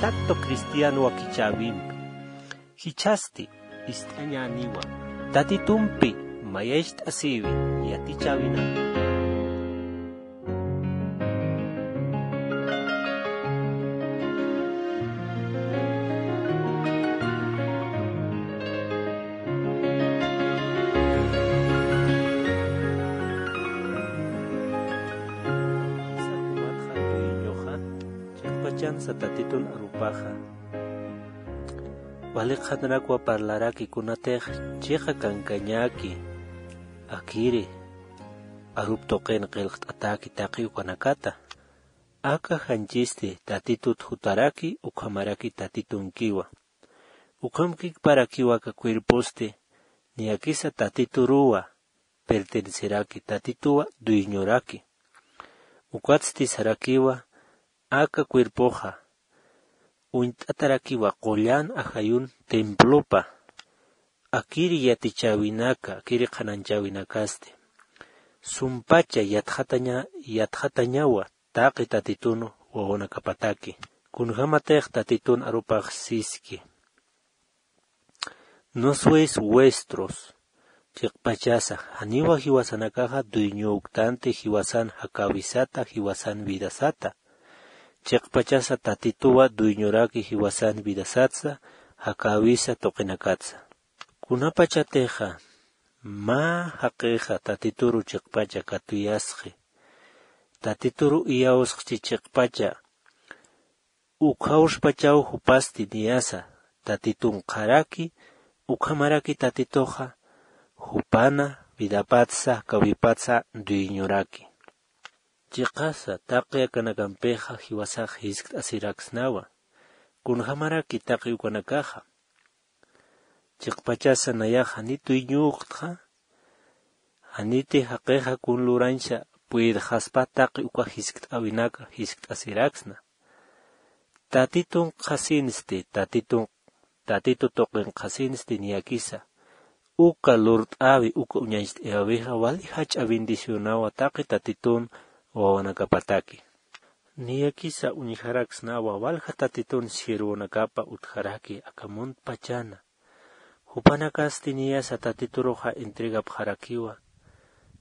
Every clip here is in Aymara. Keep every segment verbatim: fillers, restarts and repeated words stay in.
Acto cristiano wakichäwimpi. Jichhasti ist'añäniwa. Tatitumpi mayacht'asïwi yatichäwinaka. Chiqpachansa Tatitun arupaxa. Wali qhanrakwa parlaraki kunatix chiqa kankañäki, akiri arup tuqin qillqt'atäki taqi ukanakata. Aka janchisti Tatitut jutaraki ukhamaraki Tatitunkiwa. Ukhamkikparakiwa aka cuerposti niyakisa Tatituruwa perteneceraki, Tatituwa dueñoraki. Ukatsti sarakiwa aka cuerpoxa uñt'atarakiwa qullan ajayun templopa. Akiri yatichäwinaka, akiri qhananchäwinakasti sumpacha yatxataña-, yatxatañawa taqi Tatitun wawanakapataki. Kunjämatix Tatitun arupax siski. No sois vuestros. Chiqpachasa, janiwa jiwasanakaxa dueñöktanti jiwasan jakäwisata, jiwasan vidasata. Chiqpachasa Tatituwa dueñoraki jiwasan vidasatsa, jakäwisa tuqinakatsa. Kunapachatixa mä jaqixa Tatituru chiqpacha katuyasxi, Tatituru iyawsxchi chiqpacha, ukhawspachaw jupasti niyasa Tatitunkxaraki, ukhamaraki Tatituxa jupana vidapatsa, jakäwipatsa dueñoraki. Chiqasa, taqi akanakampixa jiwasax jiskt'asiraksnawa. Kunjämaraki taqi ukanakaxa. Chiqpachasa nayax jani dueñöktxa, janiti jaqixa kun lurañsa puydxaspa taqi uka jiskt'äwinaka jiskt'asiraksna. Tatitunkxasinsti, Tatitun-, Tatitu tuqinxasinsti niyakisa. Uka lurt'äwi, uka uñacht'ayäwixa wali jach'a bendicionawa taqi Tatitun wawanakapataki. Niyakisa uñjaraksnawa walja Tatitun siervonakapa utjaraki aka muntpachana. Jupanakasti niyasa Tatituruxa entregapxarakiwa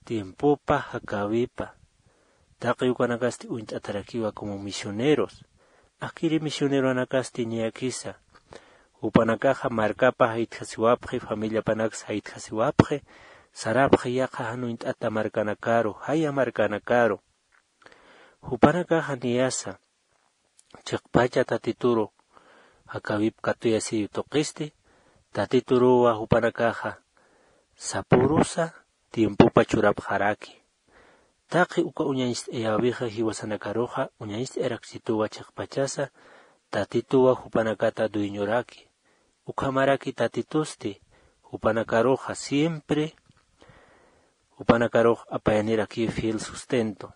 tiempopa, jakäwipa. Taqi ukanakasti uñt'atarakiwa como misioneros. Akiri misioneronakasti niyakisa. Jupanakaxa markapa jaytjasiwapxi, familiapanaks jaytjasiwapxi, sarapxi yaqha jan uñt'ata markanakaru, jaya markanakaru. Jupanakaxa niyasa, chiqpacha Tatituru jakäwip katuyasiw tuqisti, Tatituruwa jupanakaxa sapürusa tiempopa churapxaraki. Taqi uka uñacht'ayäwixa jiwasanakaruxa uñacht'ayarakchituwa chiqpachasa, Tatituwa jupanakata dueñoraki. Ukhamaraki Tatitusti jupanakaruxa siempre, jupanakarux apayanirakiw fiel sustento.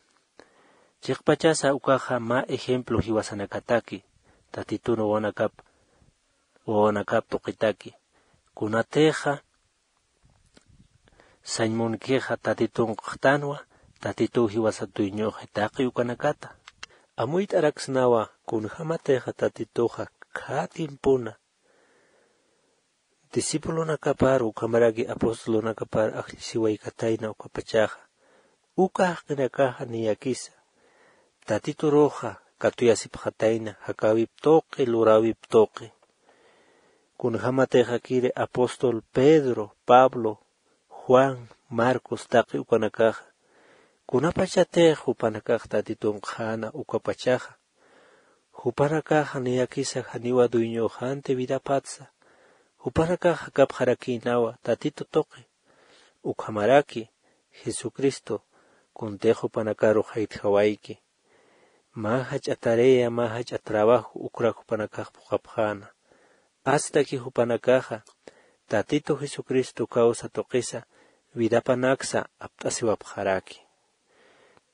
Chiqpachasa ukaxa mä ejemplo jiwasanakataki, Tatitun wawanakap, wawanakap tuqitaki. Kunatixa sañ munkixa Tatitunkxtanwa, Tatituw jiwasa dueñoxi taqi ukanakata. Amuyt'araksnawa kunjämatixa Tatituxa khä tiempona discipulonakapar ukhamaraki apostolonakapar ajllisiwaykatayna ukapachaxa. Uka jaqinakaxa niyakisa Tatituruxa katuyasipxatayna jakäwip tuqi, luräwip tuqi. Kunjämatixa akiri apóstol Pedro, Pablo, Juan, Marcos taqi ukanakaxa, kunapachatix jupanakax Tatitunkxäna ukapachaxa, jupanakaxa niyakisa janiwa dueñöxänti vidapatsa, jupanakax jakapxarakïnawa Tatitu tuqi. Ukhamaraki Jesucristo kuntix jupanakaru jaytjawayki. Mä jach'a tarea, mä jach'a trabajo ukrak jupanakax phuqhapxäna. Astaki jupanakaxa Tatitu Jesucristo kawsa tuqisa vidapanaksa apt'asiwapxaraki.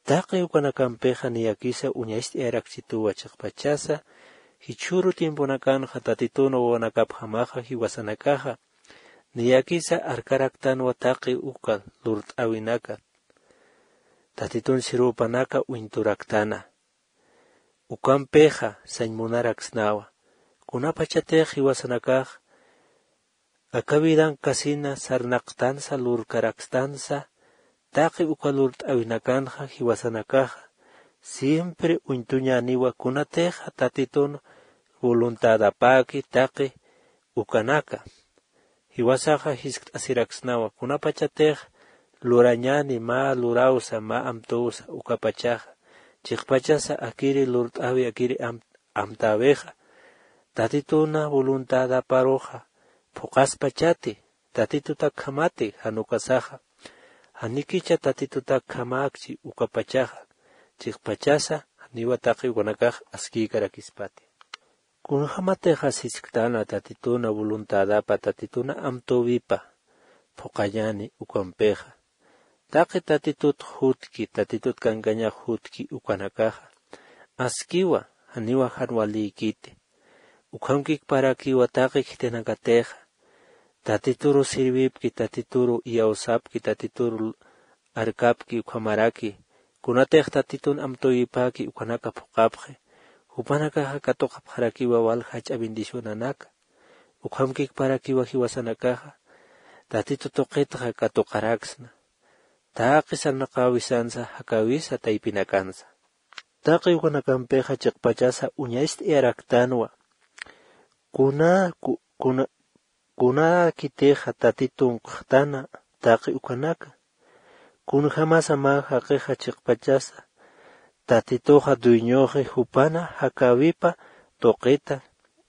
Taqi ukanakampixa niyakisa uñacht'ayarakchituwa chiqpachasa, jichhüru tiemponakanxa Tatitun wawanakapjamaxa jiwasanakaxa, niyakisa arkaraktanwa taqi uka lurt'äwinaka, Tatitun sirwpanaka uñturaktana. Ukampixa sañ munaraksnawa, Kunapachatix jiwasanakax aka vidankasina sarnaqtansa lurkarakstansa, taqi uka lurt'äwinakanxa jiwasanakaxa siempre uñtuñäniwa kunatixa tatitun voluntadapäki taqi ukanaka. Jiwasaxa jiskt'asiraksnawa kunapachatix lurañäni mä luräwsa mä amtüwsa ukapachaxa, chiqpachasa akiri lurt'äwi akiri amtäwixa tatituna voluntadaparuxa phuqhaspachati tatitutakjamati jan ukasaxa. Janikicha tatitutakjamäkchi ukapachaxa, chiqpachasa janiwa taqi ukanakax askïkarakispati. Kunjämatix jisktana tatituna voluntadapa tatituna amtüwipa phuqhañäni ukampixa, taqi tatitut jutki tatitut kankañax jutki ukanakaxa askiwa, janiwa jan walïkiti. Ukhamkikparakiwa taqi khitinakatixa tatituru sirvipki tatituru iyawsapki tatituru arkapki ukhamaraki kunatix tatitun amtüwipäki ukanaka phuqhapxi, jupanakaxa katuqapxarakiwa walja jach'a bendicionanaka. Ukhamkikparakiwa jiwasanakaxa tatitu tuqitxa katuqaraksna taqi sarnaqäwisansa jakäwisa taypinakansa. Taqi ukanakampixa chiqpachasa uñacht'ayaraktanwa kuna kuna kunakitixa tatitun q'uxtana taqi ukanaka. Kunjämasa mä jaqixa chiqpachasa tatituxa dueñoxi jupana jakäwipa tuqita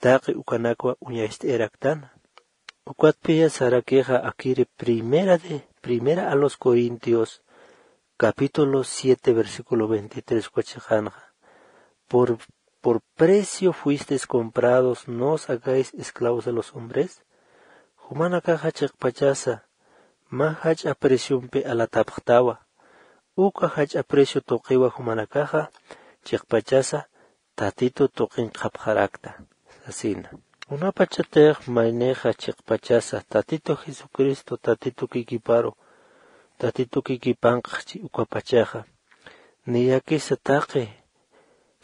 taqi ukanakwa uñacht'ayaraktana. Ukatpiya sarakixa akiri primera de primera a los corintios capítulo siete versículo veintitrés uka chiqanxa, por por precio fuisteis comprados, no os hagáis esclavos de los hombres. Jumanakaxa chiqpachasa mä jach'a preciompi alatapxtawa. Uka jach'a precio tuqiwa jumanakaxa chiqpachasa tatitu tuqin qhapxarakta sasina. Kunapachatix maynixa chiqpachasa tatitu jesucristo tatitu kikiparu tatitu kikipanqxchi ukapachaxa, niyakisa taqi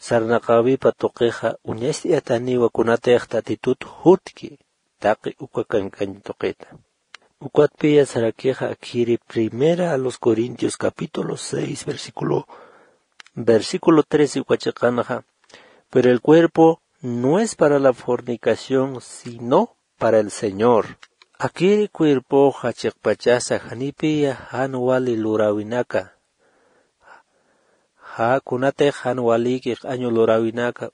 sarnaqäwipa tuqixa uñacht'ayataniwa kunatix tatitut jutki taqi uka kankañ tuqita. Ukatpiya sarakixa akhiri primera a los corintios capítulo seis versículo versículo trece uka chiqanxa, pero el cuerpo no es para la fornicación sino para el señor. Akiri cuerpoxa chiqpachasa janipiya jan wali luräwinaka. Ja kunatix jan walïki q'añu luräwinaka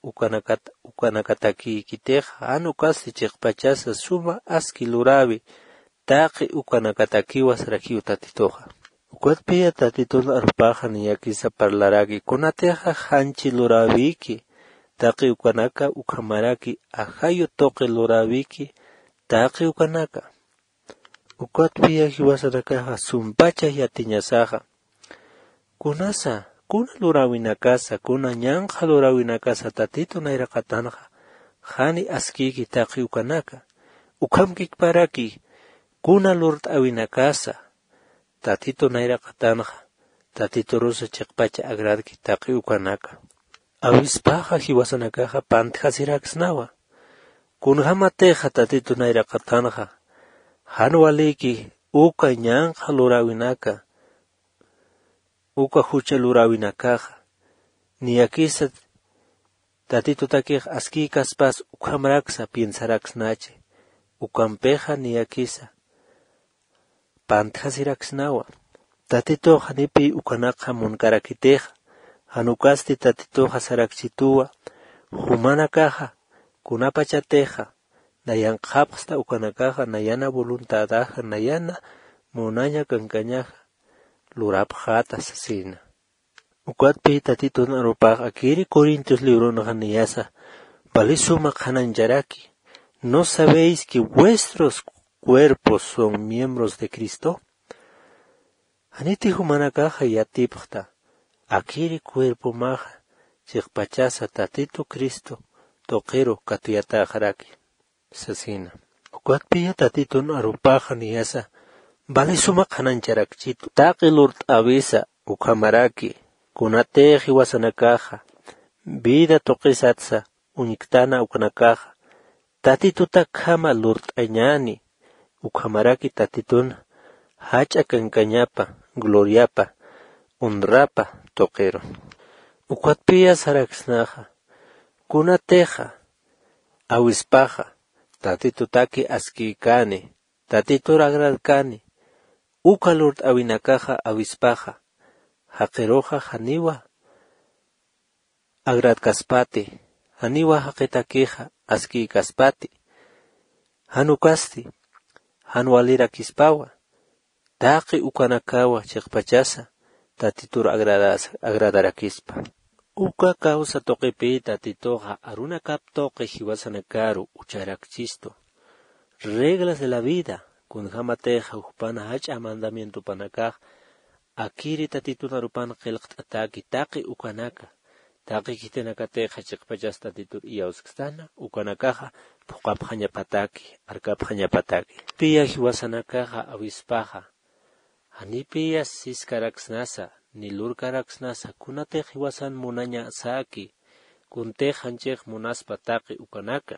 ukanakatakïkitix jan ukasti chiqpachasa suma aski luräwi taqi ukanakatakiwa sarakiw tatituxa. Ukatpiya tatitun arupaxa niyakisa parlaraki kunatixa janchi luräwiki taqi ukanaka ukhamaraki ajayu tuqi luräwiki taqi ukanaka. Ukatpiya jiwasanakaxa sumpacha yatiñasaxa kunasa kuna luräwinakasa kuna ñanqha luräwinakasa tatitu nayraqatanxa jani askïki taqi ukanaka. Ukhamkikparaki kuna lurt'äwinakasa tatitu nayraqatanxa tatiturusa chiqpacha agradki taqi ukanaka. Awispaxa jiwasanakaxa pantjasiraksnawa kunjämatixa tatitu nayraqatanxa jan walïki uka ñanqha luräwinaka uka jucha luräwinakaxa niyakisa tatitutakix askïkaspas ukhamraksa piensaraksnachi. Ukampixa niyakisa pantjasiraksnawa tatitux janipiy ukanakxa munkarakitixa jan ukasti tatituxa sarakchituwa jumanakaxa kunapachatixa nayan qhapxsta ukanakaxa nayana voluntadaxa nayana munaña kankañaxa lurapxäta sasina. Ukatpi tatitun arupax akiri corintios librunxa niyasa valisuma qhanañcharaki no sabéis que vuestros cuerpos son miembros de cristo? Janiti jumanakaxa yatipxta akiri cuerpomaxa chiqpachasa tatitu cristo tuqiru katuyatäxaraki sasina. Ukatpiya tatitun arupaxa niyasa valisuma qhanañcharakchitu taqi lurt'äwisa ukhamaraki kunatix jiwasanakaxa vida tuqisatsa uñktana ukanakaxa Tatitutakjama lurt'añäni, ukhamaraki Tatitun jach'a kankañapa, gloriapa, honrapa tuqiru. Ukatpiya saraksnaxa, kunatixa awispaxa Tatitutaki askïkani, Tatitur agradkani, uka lurt'awinakaxa awispaxa, jaqiruxa janiwa agradkaspati, janiwa jaqitakixa askïkaspati, jan ukasti, jan walirakispawa, taqi ukanakawa chiqpachasa Tatitur agradas-, agradarakispa. Uka kawsa tuqipï Tatituxa arunakap tuqi jiwasanakaru ucharakchistu. Reglas de la vida, kunjämatixa jupana jach'a mandamientopanakax, akiri Tatitun arupan qillqt'ataki taqi ukanaka, taqi khitinakatixa chiqpachas Tatitur iyawskstana, ukanakaxa phuqapxañapataki, arkapxañapataki. Piya jiwasanakaxa awispaxa, janipiya siskaraksnasa, ni lurkaraksnasa, kunatix jiwasan munañasaki, kuntix janchix munaspa taqi ukanaka.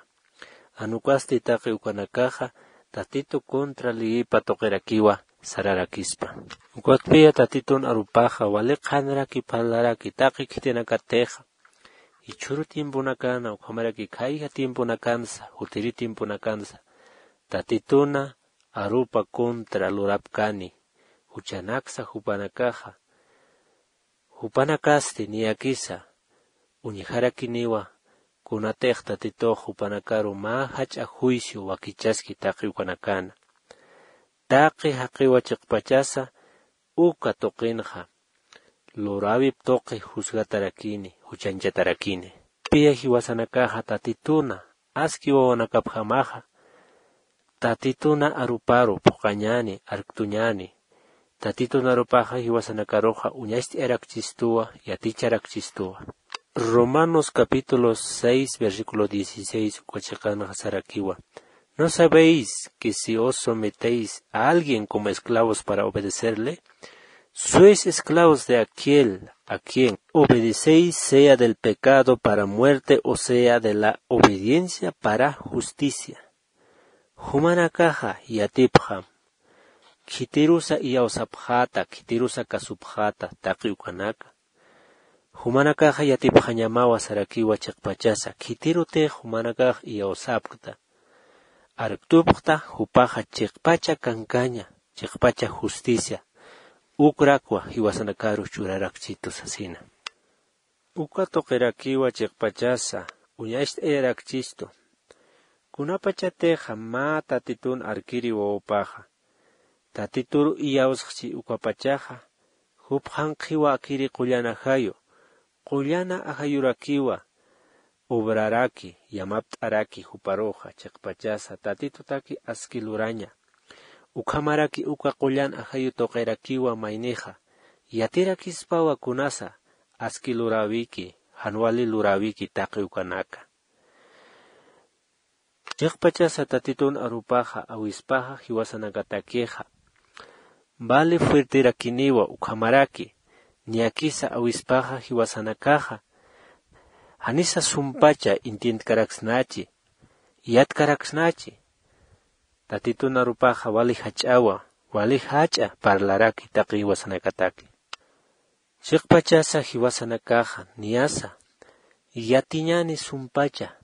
Jan ukasti taqi ukanakaxa Tatitu contra leyipa tuqirakiwa sararakispa. Ukatpiya Tatitun arupaxa wali qhanraki parlaraki taqi khitinakatixa, jichhüru tiemponakana, ukhamaraki khayja tiemponakansa, jutiri tiemponakansa, Tatituna arupa contra lurapkani, juchanaksa jupanakaxa, jupanakasti niyakisa uñjarakiniwa, kunatix Tatitux jupanakaru mä jach'a juicio wakichaski taqi ukanakana. Taqi jaqiwa chiqpachasa uka tuqinxa luräwip tuqi juzgatarakini, juchanchatarakini. Piya jiwasanakaxa Tatituna aski wawanakapjamaxa, Tatituna aruparu phuqañäni, arktuñäni. Tatitun arupaxa jiwasanakaruxa uñacht'ayarakchistuwa, yaticharakchistuwa. Romanos capítulo seis, versículo dieciséis, uka chiqanxa sarakiwa: ¿No sabéis que si os sometéis a alguien como esclavos para obedecerle, sois esclavos de aquel a quien obedecéis, sea del pecado para muerte o sea de la obediencia para justicia? Jumanakaxa yatipxam, khitirusa iyawsapxäta, khitirusa kasupxäta taqi ukanaka. Jumanakaxa yatipxañamawa sarakiwa chiqpachasa, khitirutix jumanakax iyawsapkta, arktupxta, jupaxa chiqpacha kankaña, chiqpacha justicia, ukrakwa jiwasanakaru churarakchitu sasina. Uka tuqirakiwa chiqpachasa uñacht'ayarakchistu. Kunapachatixa mä Tatitun arkiri wawapaxa, Tatituru iyawsxchi ukapachaxa, jupxanqhiwa akiri qullan ajayu, qullana ajayurakiwa obraraki, yamapt'araki juparuxa chiqpachasa Tatitutaki aski luraña. Ukhamaraki uka qullan ajayu tuqirakiwa maynixa, yatirakispawa kunasa aski luräwiki, jan wali luräwiki taqi ukanaka. Chiqpachasa Tatitun arupaxa awispaxa jiwasanakatakixa, vali fuerterakiniwa ukhamaraki, niyakisa awispaxa jiwasanakaxa, janisa sumpacha entiendkaraksnachi, yatkaraksnachi. Tatitun arupaxa wali jach'awa, wali jach'a parlaraki taqi jiwasanakataki. Chiqpachasa jiwasanakaxa niyasa yatiñäni sumpacha,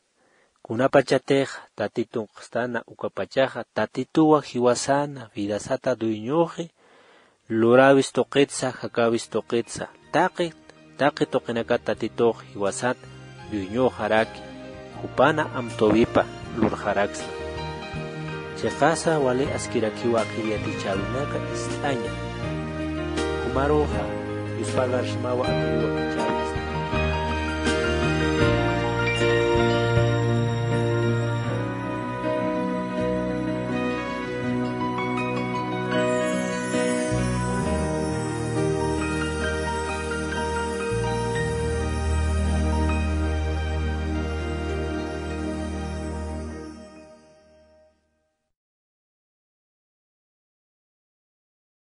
kunapachatix Tatitun q'stana ukapachaxa, Tatituwa jiwasana vidasata dueñoxi, luräwis tuqitsa, jakäwis tuqitsa, taqi, taqi tuqinakat Tatitux jiwasat dueñoxaraki, jupana amtuwipa lurxaraksna. Chiqasa wali askirakiwa akir yatichäwinaka ist'aña. Jumaruxa, yuspagarxmawa akiriwa